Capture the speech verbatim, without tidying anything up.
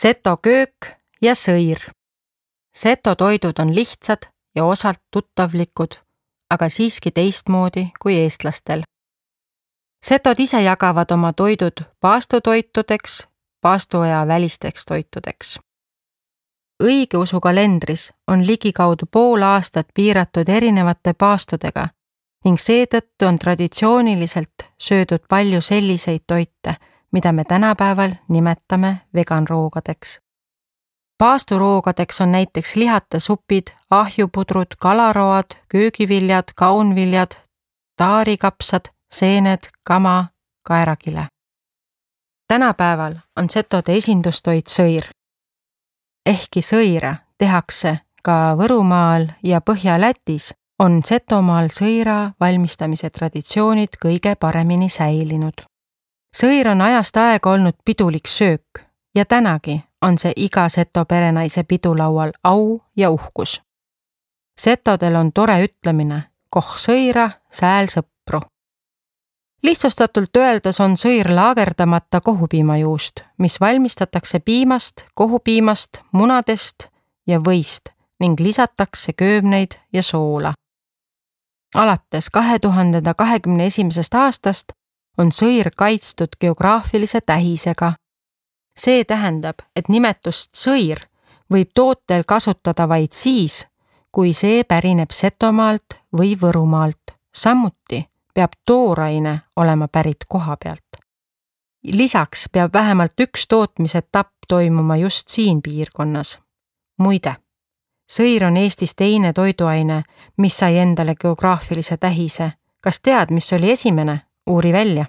Seto köök ja sõir. Seto toidud on lihtsad ja osalt tuttavlikud, aga siiski teistmoodi kui eestlastel. Setod ise jagavad oma toidud paastotoitudeks, paastoaja välisteks toitudeks. Õigeusu kalendris on ligikaudu pool aastat piiratud erinevate paastudega ning seetõttu on traditsiooniliselt söödud palju selliseid toite, mida me tänapäeval nimetame veganroogadeks. Paasturoogadeks on näiteks lihatasupid, ahjupudrud, kalaroad, köögiviljad, kaunviljad, taarikapsad, seened, kama, kaerakile. Tänapäeval on setode esindustoit sõir. Ehkki sõira tehakse ka Võrumaal ja Põhja-Lätis, on Setomaal sõira valmistamise traditsioonid kõige paremini säilinud. Sõir on ajast aega olnud pidulik söök ja tänagi on see iga Seto perenaise pidulaual au ja uhkus. Setodel on tore ütlemine, koh sõira, sääl sõpru. Lihtsustatult öeldes on sõir laagerdamata kohupiimajuust, mis valmistatakse piimast, kohupiimast, munadest ja võist ning lisatakse köömneid ja soola. Alates kahe tuhande kahekümne esimesest aastast on sõir kaitstud geograafilise tähisega. See tähendab, et nimetust sõir võib tootel kasutada vaid siis, kui see pärineb Setomaalt või Võrumaalt. Samuti peab tooraine olema pärit koha pealt. Lisaks peab vähemalt üks tootmisetapp toimuma just siin piirkonnas. Muide, sõir on Eestis teine toiduaine, mis sai endale geograafilise tähise. Kas tead, mis oli esimene? Uuri välja.